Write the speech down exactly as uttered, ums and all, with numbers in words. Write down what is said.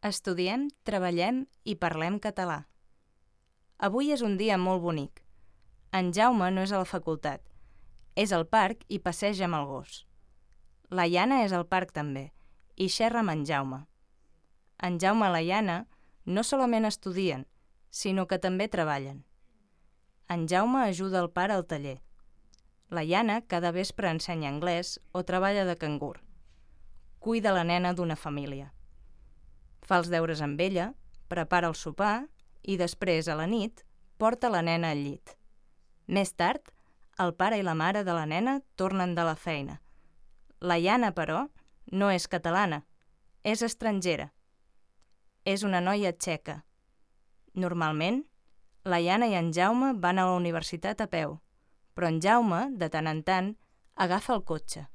Estudiem, treballem i parlem català. Avui és un dia molt bonic. En Jaume no és a la facultat. És al parc i passeja amb el gos. La Iana és al parc també i xerra amb en Jaume. En Jaume i la Iana no solament estudien, sinó que també treballen. En Jaume ajuda el pare al taller. La Iana cada vespre ensenya anglès o treballa de cangur. Cuida la nena d'una família. Fa els deures amb ella, prepara el sopar i després, a la nit, porta la nena al llit. Més tard, el pare i la mare de la nena tornen de la feina. La Iana, però, no és catalana, és estrangera. És una noia txeca. Normalment, la Iana i en Jaume van a la universitat a peu, però en Jaume, de tant en tant, agafa el cotxe.